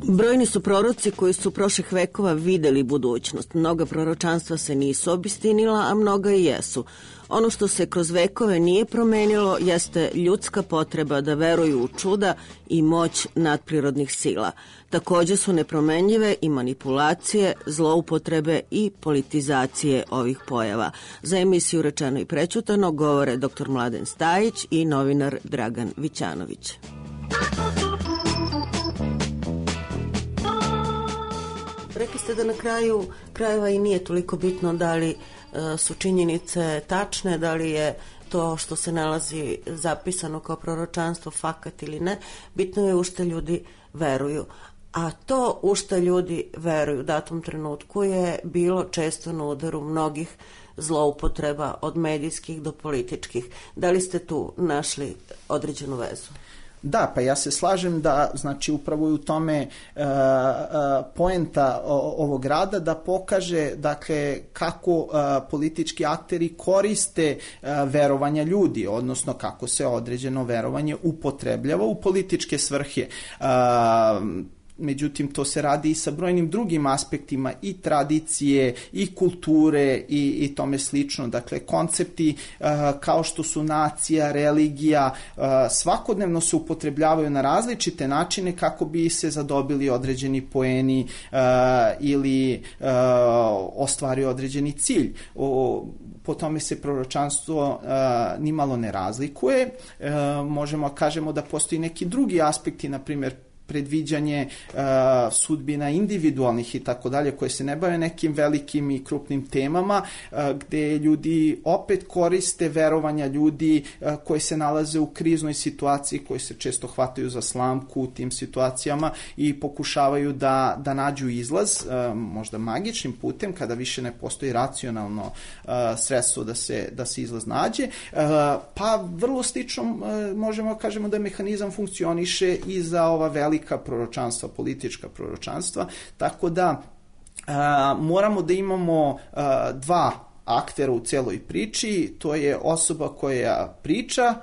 Brojni su proroci koji su prošlih vekova videli budućnost. Mnoga proročanstva se nisu obistinila, a mnoga i jesu. Ono što se kroz vekove nije promenilo jeste ljudska potreba da veruju u čuda i moć nadprirodnih sila. Takođe su nepromenljive i manipulacije, zloupotrebe i politizacije ovih pojava. Za emisiju Rečeno i prećutano govore dr. Mladen Stajić i novinar Dragan Vićanović. Rekli ste da na kraju krajeva i nije toliko bitno da li su činjenice tačne, da li je to što se nalazi zapisano kao proročanstvo fakat ili ne. Bitno je u što ljudi veruju. A to u što ljudi veruju u datom trenutku je bilo često na udaru mnogih zloupotreba od medijskih do političkih. Da li ste tu našli određenu vezu? Da, pa ja se slažem da, znači, upravo je u tome poenta ovog rada da pokaže, dakle, kako politički akteri koriste verovanja ljudi, odnosno kako se određeno verovanje upotrebljava u političke svrhe. Međutim, to se radi i sa brojnim drugim aspektima i tradicije i kulture i tome slično. Dakle, koncepti kao što su nacija, religija, svakodnevno se upotrebljavaju na različite načine kako bi se zadobili određeni poeni ili ostvario određeni cilj. Po tome se proročanstvo nimalo ne razlikuje. Možemo kažemo da postoji neki drugi aspekti, na primjer predviđanje sudbina individualnih i tako dalje, koje se ne bave nekim velikim i krupnim temama, gde ljudi opet koriste verovanja ljudi koji se nalaze u kriznoj situaciji, koji se često hvataju za slamku u tim situacijama i pokušavaju da nađu izlaz, možda magičnim putem, kada više ne postoji racionalno sredstvo da se izlaz nađe. Pa vrlo slično možemo kažemo da mehanizam funkcioniše i za ova velika proročanstva, politička proročanstva, tako da moramo da imamo dva aktera u celoj priči, to je osoba koja priča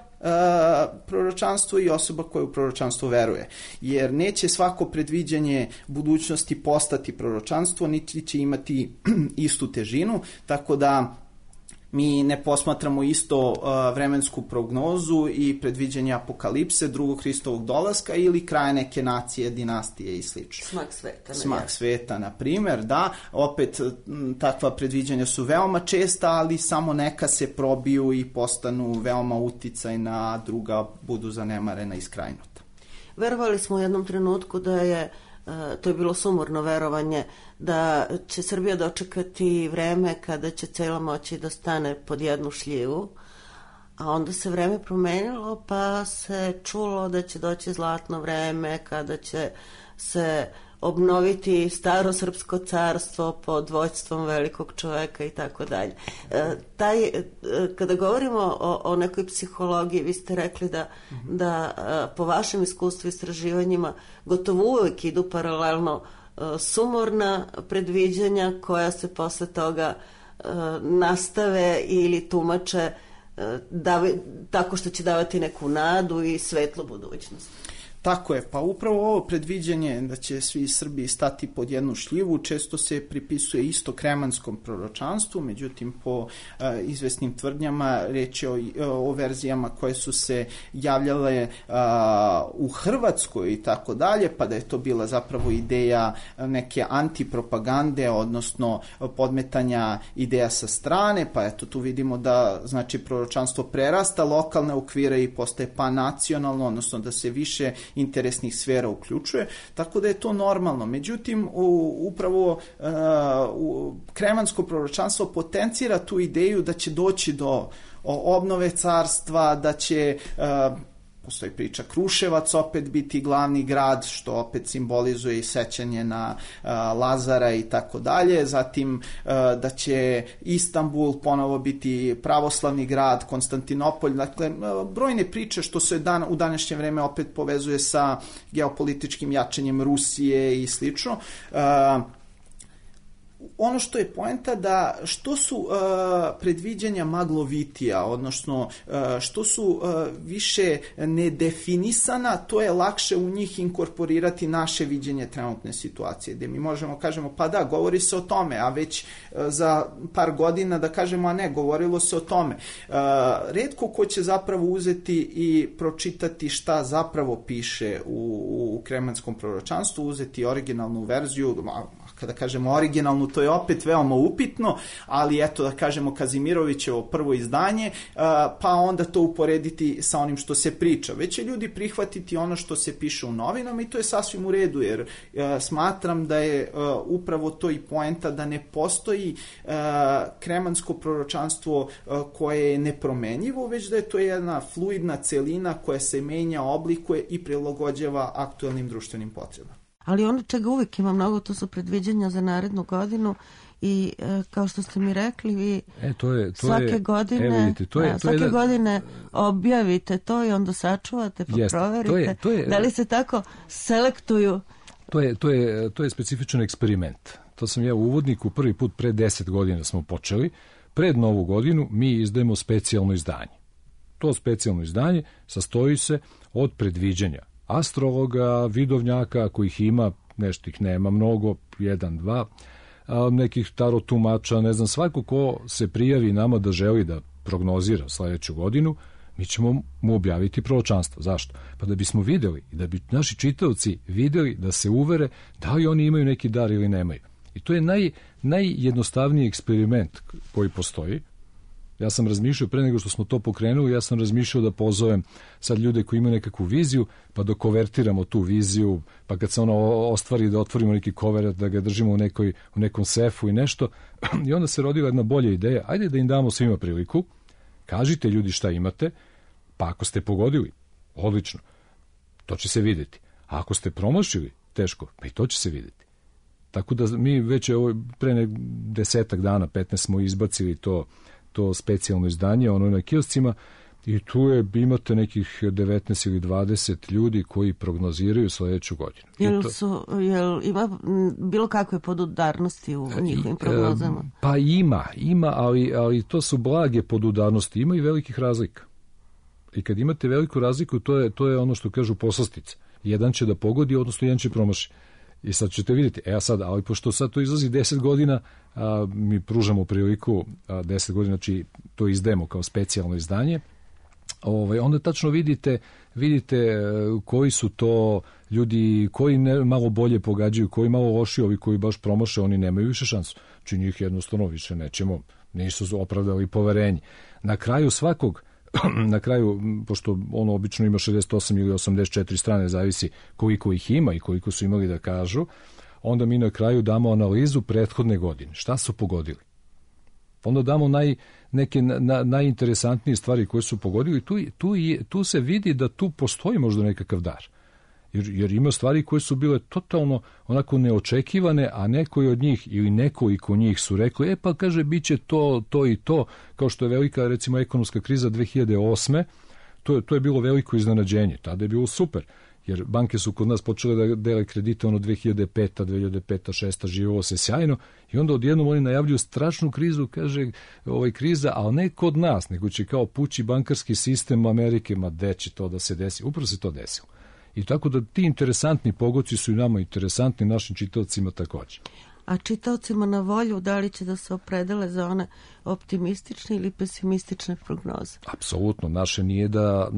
proročanstvo i osoba koja u proročanstvo veruje. Jer neće svako predviđanje budućnosti postati proročanstvo, niti će imati istu težinu, tako da mi ne posmatramo isto vremensku prognozu i predviđanje apokalipse, drugog Hristovog dolaska ili kraja neke nacije, dinastije i slično. Smak sveta, na primjer, da. Opet, takva predviđanja su veoma česta, ali samo neka se probiju i postanu veoma uticajna, a druga budu zanemarena i skrajnuta. Verovali smo u jednom trenutku da je, to je bilo sumorno verovanje, da će Srbija dočekati vreme kada će cela moći da stane pod jednu šljivu, a onda se vreme promenilo pa se čulo da će doći zlatno vreme kada će se obnoviti staro srpsko carstvo pod vođstvom velikog čoveka i tako dalje. Kada govorimo o nekoj psihologiji, vi ste rekli da po vašem iskustvu i istraživanjima gotovo uvek idu paralelno sumorna predviđanja koja se posle toga nastave ili tumače tako što će davati neku nadu i svetlu budućnost. Tako je, pa upravo ovo predviđanje da će svi Srbi stati pod jednu šljivu često se pripisuje isto kremanskom proročanstvu, međutim po izvesnim tvrdnjama reč je o verzijama koje su se javljale u Hrvatskoj i tako dalje, pa da je to bila zapravo ideja neke antipropagande, odnosno podmetanja ideja sa strane, pa eto tu vidimo da znači proročanstvo prerasta lokalne okvire i postaje panacionalno, odnosno da se više interesnih sfera uključuje, tako da je to normalno. Međutim, upravo kremansko proročanstvo potencira tu ideju da će doći do obnove carstva, da će postoji priča Kruševac opet biti glavni grad, što opet simbolizuje i sećanje na Lazara i tako dalje, zatim da će Istanbul ponovo biti pravoslavni grad, Konstantinopolj, dakle brojne priče što se u današnje vreme opet povezuje sa geopolitičkim jačanjem Rusije i slično. Ono što je poenta da što su predviđanja maglovitija, odnosno što su više nedefinisana, to je lakše u njih inkorporirati naše viđenje trenutne situacije, gde mi možemo kažemo pa da, govori se o tome, a već za par godina da kažemo a ne, govorilo se o tome. Retko ko će zapravo uzeti i pročitati šta zapravo piše u kremanskom proročanstvu, uzeti originalnu verziju, kada kažemo originalnu, to je opet veoma upitno, ali eto da kažemo Kazimirovićevo prvo izdanje, pa onda to uporediti sa onim što se priča. Već će ljudi prihvatiti ono što se piše u novinama i to je sasvim u redu, jer smatram da je upravo to i poenta da ne postoji kremansko proročanstvo koje je nepromenjivo, već da je to jedna fluidna celina koja se menja, oblikuje i prilagođava aktuelnim društvenim potrebama. Ali ono čega uvijek ima mnogo, to su predviđanja za narednu godinu i kao što ste mi rekli, vi svake godine objavite to i onda sačuvate, pa proverite. Da li se tako selektuju? To je specifičan eksperiment. To sam ja u uvodniku prvi put pre 10 godina smo počeli. Pred Novu godinu mi izdajemo specijalno izdanje. To specijalno izdanje sastoji se od predviđanja astrologa, vidovnjaka, kojih ima, nešto ih nema mnogo, 1, 2, nekih tarot tumača, ne znam, svako ko se prijavi nama da želi da prognozira sledeću godinu, mi ćemo mu objaviti proročanstvo. Zašto? Pa da bismo videli i da bi naši čitaoci videli, da se uvere da li oni imaju neki dar ili nemaju. I to je najjednostavniji eksperiment koji postoji. Ja sam razmišljao, pre nego što smo to pokrenuli, ja sam razmišljao da pozovem sad ljude koji imaju nekakvu viziju, pa da kovertiramo tu viziju, pa kad se ona ostvari da otvorimo neki koverat, da ga držimo u nekom sefu i nešto. I onda se rodila jedna bolja ideja. Ajde da im damo svima priliku, kažite ljudi šta imate, pa ako ste pogodili, odlično, to će se vidjeti. A ako ste promašili, teško, pa i to će se vidjeti. Tako da mi već pre 10 dana, 15 smo izbacili to specijalno izdanje, ono na kioscima, i tu imate nekih 19 ili 20 ljudi koji prognoziraju sledeću godinu. Jel ima bilo kakve podudarnosti u njihovim prognozama? Pa ima, ali to su blage podudarnosti, ima i velikih razlika. I kad imate veliku razliku, to je ono što kažu poslastica. Jedan će da pogodi, odnosno jedan će promaši. I sad ćete vidjeti, ali pošto sad to izlazi 10 godina, mi pružamo priliku 10 godina, znači to izdajemo kao specijalno izdanje, onda tačno vidite koji su to ljudi koji malo bolje pogađaju, koji malo loši, ovi koji baš promaše, oni nemaju više šansu. Znači njih jednostavno više nećemo, nisu opravdali poverenje. Na kraju, pošto ono obično ima 68 ili 84 strane, zavisi koliko ih ima i koliko su imali da kažu, onda mi na kraju damo analizu prethodne godine. Šta su pogodili? Onda damo neke najinteresantnije stvari koje su pogodili. Tu se vidi da tu postoji možda nekakav dar. Jer ima stvari koje su bile totalno onako neočekivane, a neko od njih ili nekoliko njih su rekli, pa kaže, bit će to i to, kao što je velika, recimo, ekonomska kriza 2008. To je bilo veliko iznenađenje. Tada je bilo super, jer banke su kod nas počele da dele kredite 2005. 6. živelo se sjajno i onda odjednom oni najavljuju strašnu krizu, kaže kriza, ali ne kod nas, nego će kao pući bankarski sistem Amerike, ma gde će to da se desi? Upravo se to desilo. I tako da ti interesantni pogoci su i nama interesantni, našim čitaocima također. A čitaocima na volju, da li će da se opredele za one optimistične ili pesimistične prognoze? Apsolutno, naše nije da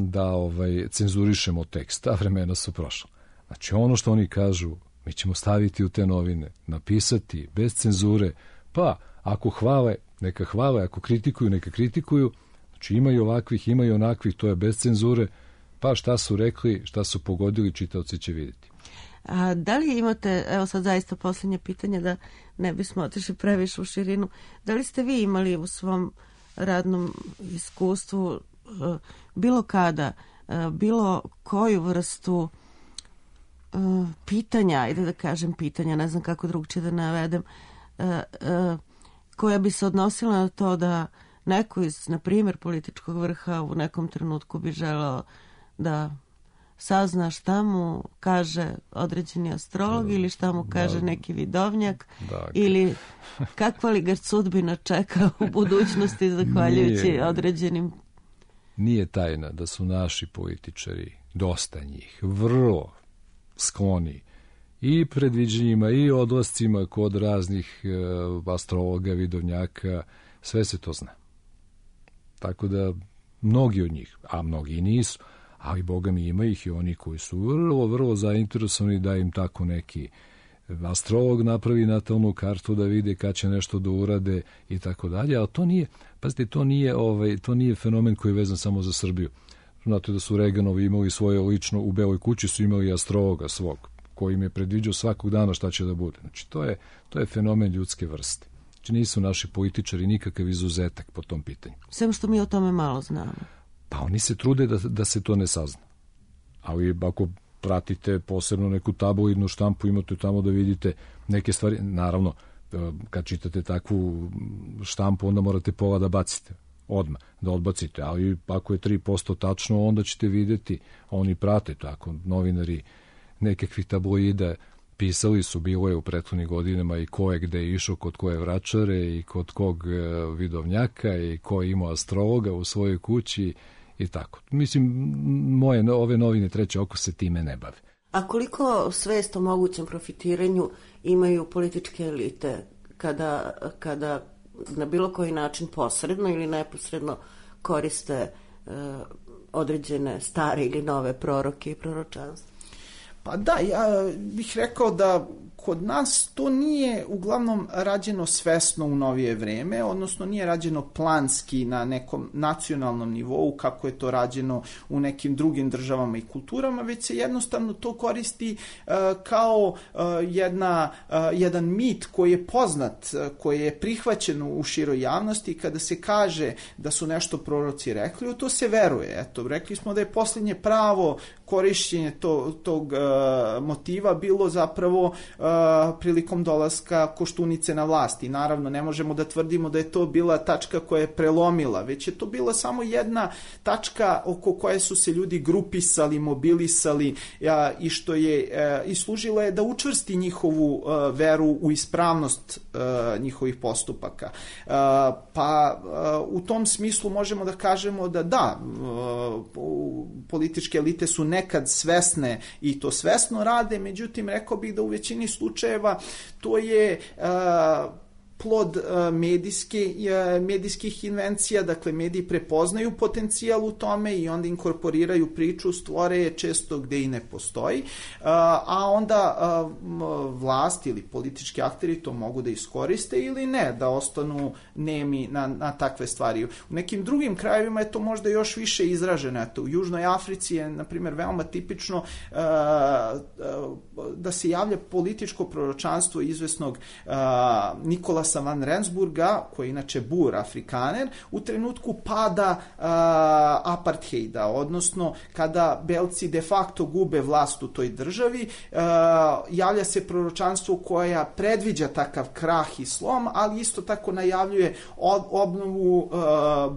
cenzurišemo tekst, ta vremena su prošla. Znači ono što oni kažu, mi ćemo staviti u te novine, napisati bez cenzure, pa ako hvale, neka hvale, ako kritikuju, neka kritikuju, znači ima i ovakvih, ima i onakvih, to je bez cenzure, pa šta su rekli, šta su pogodili, čitaoci će vidjeti. A da li imate, evo sad zaista posljednje pitanje, da ne bismo otišli previše u širinu, da li ste vi imali u svom radnom iskustvu bilo kada, bilo koju vrstu pitanja, ajde da kažem pitanja, ne znam kako drugčije da navedem, koja bi se odnosila na to da neko iz, na primjer, političkog vrha u nekom trenutku bi želeo da sazna šta mu kaže određeni astrolog ili šta mu kaže neki vidovnjak ili kakva li ga sudbina čeka u budućnosti zahvaljujući određenim... Nije tajna da su naši političari, dosta njih, vrlo skloni i predviđenjima i odlascima kod raznih astrologa, vidovnjaka, sve se to zna. Tako da mnogi od njih, a mnogi i nisu, ali Boga mi ima ih i oni koji su vrlo, vrlo zainteresovani da im tako neki astrolog napravi natalnu kartu da vide kad će nešto da urade i tako dalje, ali to nije, pazite, to nije fenomen koji je vezan samo za Srbiju. Znate da su Reganovi imali svoje lično, u Beloj kući su imali astrologa svog, koji im je predviđao svakog dana šta će da bude. Znači, to je fenomen ljudske vrste. Znači, nisu naši političari nikakav izuzetak po tom pitanju. Sem što mi o tome malo znamo. Pa oni se trude da se to ne sazna. Ali ako pratite posebno neku tabloidnu štampu, imate tamo da vidite neke stvari. Naravno, kad čitate takvu štampu, onda morate pola da bacite odmah, da odbacite, ali ako je 3% tačno, onda ćete vidjeti, oni prate tako, novinari nekakvih tabloida pisali su, bilo je u prethodnih godinama i ko je gde išao, kod koje vračare i kod kog vidovnjaka i ko je imao astrologa u svojoj kući i tako. Mislim, ove novine Treće oko se time ne bave. A koliko svest o mogućem profitiranju imaju političke elite kada na bilo koji način posredno ili neposredno koriste određene stare ili nove proroke i proročanstva? Pa da, ja bih rekao da kod nas to nije uglavnom rađeno svesno u novije vreme, odnosno nije rađeno planski na nekom nacionalnom nivou kako je to rađeno u nekim drugim državama i kulturama, već se jednostavno to koristi kao jedan mit koji je poznat, koji je prihvaćen u široj javnosti. Kada se kaže da su nešto proroci rekli, u to se veruje. Eto, rekli smo da je posljednje pravo korišćenje tog motiva bilo zapravo prilikom dolaska Koštunice na vlast. I naravno ne možemo da tvrdimo da je to bila tačka koja je prelomila, već je to bila samo jedna tačka oko koje su se ljudi grupisali, mobilisali i što je i služila je da učvrsti njihovu veru u ispravnost njihovih postupaka. Pa u tom smislu možemo da kažemo da političke elite su nekad svesne i to svesno rade, međutim rekao bih da u većini slučajeva to je plod medijskih invencija, dakle mediji prepoznaju potencijal u tome i onda inkorporiraju priču, stvore je često gde i ne postoji, a onda vlast ili politički akteri to mogu da iskoriste ili ne, da ostanu nemi na takve stvari. U nekim drugim krajevima je to možda još više izraženo. Eto, u Južnoj Africi je, na primjer, veoma tipično da se javlja političko proročanstvo izvesnog Nikolasa van Rensburga, koji je inače Bur Afrikaner, u trenutku pada apartheida, odnosno kada Belci de facto gube vlast u toj državi, javlja se proročanstvo koja predviđa takav krah i slom, ali isto tako najavljuje obnovu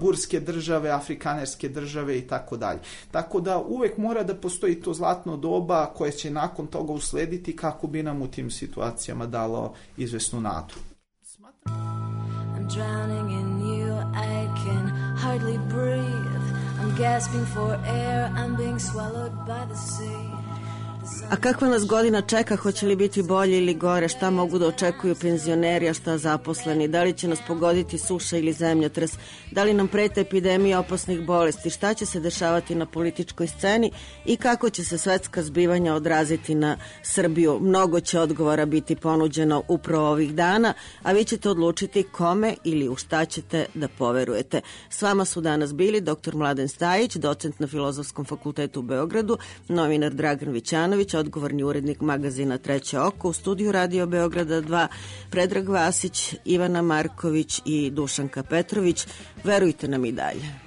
burske države, afrikanerske države i tako dalje. Tako da uvek mora da postoji to zlatno doba koje će nakon toga uslediti kako bi nam u tim situacijama dalo izvesnu nadu. I'm drowning in you, I can hardly breathe. I'm gasping for air, I'm being swallowed by the sea. A kakva nas godina čeka, hoće li biti bolje ili gore, šta mogu da očekuju penzioneri, a šta zaposleni, da li će nas pogoditi suša ili zemljotres, da li nam prete epidemija opasnih bolesti, šta će se dešavati na političkoj sceni i kako će se svetska zbivanja odraziti na Srbiju. Mnogo će odgovora biti ponuđeno upravo ovih dana, a vi ćete odlučiti kome ili u šta ćete da poverujete. S vama su danas bili dr. Mladen Stajić, docent na Filozofskom fakultetu u Beogradu, novinar Dragan Vićanović, odgovorni urednik magazina Treće oko, u studiju Radio Beograda 2, Predrag Vasić, Ivana Marković i Dušanka Petrović. Verujte nam i dalje.